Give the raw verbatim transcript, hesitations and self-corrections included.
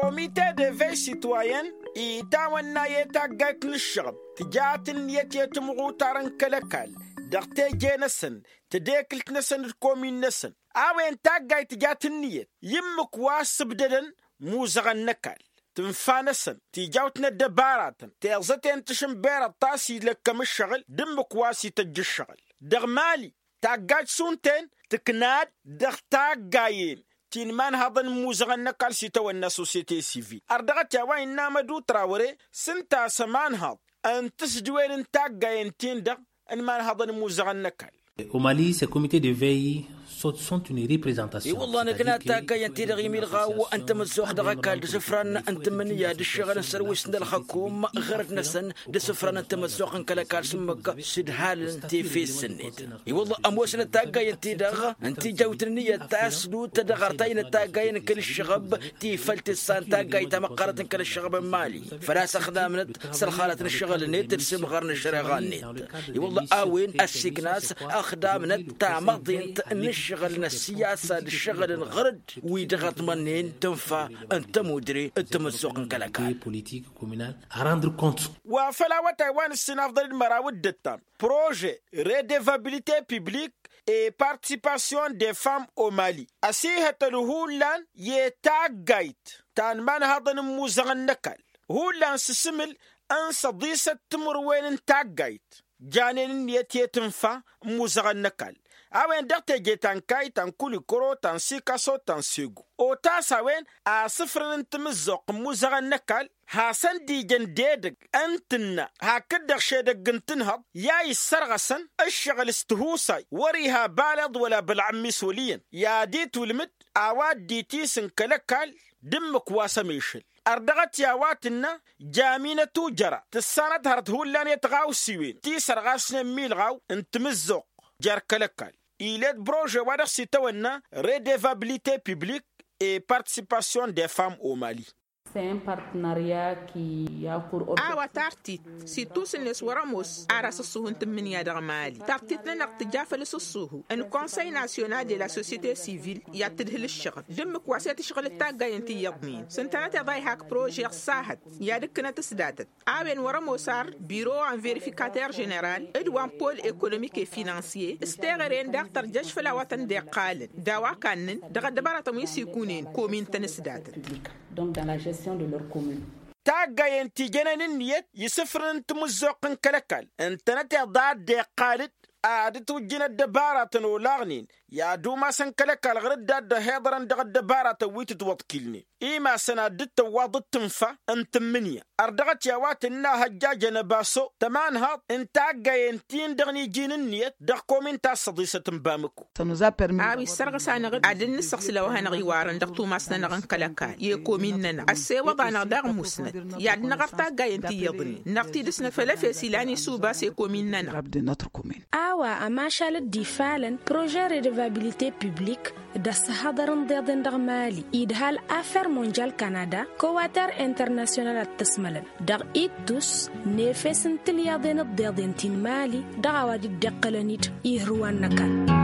Komite de vey sitwayen itawănna i-taggayt n-ǝššăɣăb tǝjat ǝnniyăt i-timɣutar n-kăl-ăkall dăɣ-teje-năsăn tedekǝlt-năsăn d-komin-năsăn. A-wen taggayt tǝjat ǝnniyăt i-ǝmmǝk wa s-ǝbdădăn imuzăɣăn n-ăkall tǝnfa-năsăn tijawt n-ăddăbaratăn teẓăten tǝšǝnberăḍ ta s-ilăkkăm ǝššăɣǝl d-ǝmmǝk wa s-ităjj ǝššăɣǝl. Dăɣ-mali taggajt šund-ten tǝkna-dd dăɣ-taggayen ti n-imanhăḍăn n-imuzăɣăn n-ăkall s-itawănna sosiyete sivil ărdăɣăt i-a-wa innă amădu trawăre s-ǝnta a-s ămanhăḍ n-tǝsdǝwen n-taggayen-tin-dăɣ n-imanhăḍăn n-imuzăɣăn n-ăkall. Omali s-e-komite de vey. Sunt une reprezentasion. I-wălla nǝkna taggayen-ti-dăɣ imilɣaw n-tamăzzuɣt dăɣ-ăkall d-asǝfran n-tǝmmǝnǝya d-ǝššăɣǝl n-sărwis n-ălxăkum ɣărăt-năsăn d-asǝfran n-tamăzzuɣt n-kăl-ăkall s-ǝmmǝk s-ǝdhalăn tefes-net. I-wălla ămoosnăt taggayen-ti-dăɣ n-tijawt n-ǝnniyăt ta s-dut dăɣ-artay n-taggayen n-kăl-ǝššăɣăb ti făll-tǝssa n-taggayt tamăqqarăt n-kăl-ǝššăɣăb n-mali făl-a-s ăxdamnăt s-ălxalăt n-ǝššăɣǝl-net d-sǝmɣăr n-ăššăreɣa-net. I-wălla a-wen ăssiikna a-s ăxdamnăt-ta măḍint n-ǝššăɣǝl n-ăssiyasa d-ǝššăɣǝl n-ɣărăd wi dăɣ-ăḍmănnen tǝnfa n-tămudre d-tamăzzuɣt n-kăl-ăkall. Politik kominal a randrǝ kont. Wa făl awătay wa nǝssin afḍăl d-măraw d-ǝttam projet redevabilite publik e partisipasyon de fam omali ăsihătăl hullan i-taggayt ta n-imanhăḍăn n-imuzăɣăn n-ăkall hullan s-asǝmǝl n-săḍisăt timǝrwen n-taggayt janen ǝnniyăt i-tǝnfa n-imuzăɣăn n-ăkall. A-wen dăɣ-teje ta n-kayy ta n-kulikoro ta n-sikaso ta n-segu otas a-wen asǝfrăn n-timǝzzuɣt n-imuzăɣăn n-ăkall hasăn-dd-ijăn d-edăgg n-tǝnna hakd-dăɣ šedăgg n-tinhăḍ i-a issărɣăsăn ǝššăɣǝl s-tihusay wăr-iha baleḍ wăla bălɣămmis wăl' iyyăn i-ad-itwǝlmǝd a-wa dd-itisǝn kăl-ăkall d-ǝmmǝk wa s-ămišǝl. Ărdăɣăt i-a-wa tǝnnă jaminăt ujăra tǝssanăt hărăt hullan i-tiɣawsiwen ti sărɣasnen milɣaw n-timǝzzuɣt jer-kăl-ăkall. Ilet brože wa dăɣ-s itawănna redevabilite publik e partisipasyon de fam omali. A-wa tartit s-ittusǝnnes wăr-ămoos ar asǝṣṣuhu n-tǝmmǝnǝya dăɣ-mali tartit-nănăɣ tǝja făll-asǝṣṣuhu n-konsăy nasyonal de la sosyete sivil i-ad-tǝdhǝl ǝššăɣǝl d-ǝmmǝk wa s-e-tǝšɣǝl d-taggayen ti iyyăḍnen s-ǝntănăteḍ a ihak prože ăṣṣahăt i-ad-ǝkkǝnăt s-datăt. A-wen wăr-ămoos ar biro wa n-verifikater ženeral d-wa n-pol ekonomik e-finansye s-teɣăre-en daɣ tărjăš făll-a-wa tăn-dd-iqqalăn d-a-wa kannăn dăɣ-ăddăbaratăn wi s-ikunen komin-tăn s-datăt. Taggayen ti jănen ǝnniyăt i-isǝfrǝn n-timǝzzuɣt n-kăl-ăkall ǝntănăteḍ a dd-iqqal-dd ad-dd-tujjǝn ăddăbaratăn olaɣnen i-ad-umasăn kăl-ăkall ɣur-dd a dd-ăhiḍărăn dăɣ-ăddăbaratăn wi tǝtwăḍkilnen imasăn ad-dd-tăwwaḍ d-tǝnfa n-tǝmmǝnǝya. Ărdăɣăt i-a-wa tǝnna hăjjajăn ăbaso tămanhaḍt n-taggayen-tin-dăɣ n-iji n-ǝnniyăt dăɣ-komin ta s-săḍisăt n-bamăko. A-wa issărɣǝs-anăɣ-dd ad-dd-nǝssăɣsǝl a-wa hanăɣ-iwarăn dăɣ-tumas-nănăɣ n-kăl-ăkall i-komin-nănăɣ ăssewăḍ-anăɣ daɣ musnăt i-ad-năɣ ărt taggayen ti iyyăḍnen năɣ tidǝs n-efăl efes ilan isuba s-ekomin-nănăɣ. A-wa ămašal dd-ifalăn prože redevabilite publik d-ăssihăḍăr n-iḍeḍen dăɣ-mali idhal afer monjal kanada kowater internasyonal ad-t-ăsmălăn dăɣ-ittus n-efes n-tilyaḍen d-iḍeḍen ti n-mali dăɣ-a-wa dd-iqqălăn-dd ihǝrwan n-ăkall.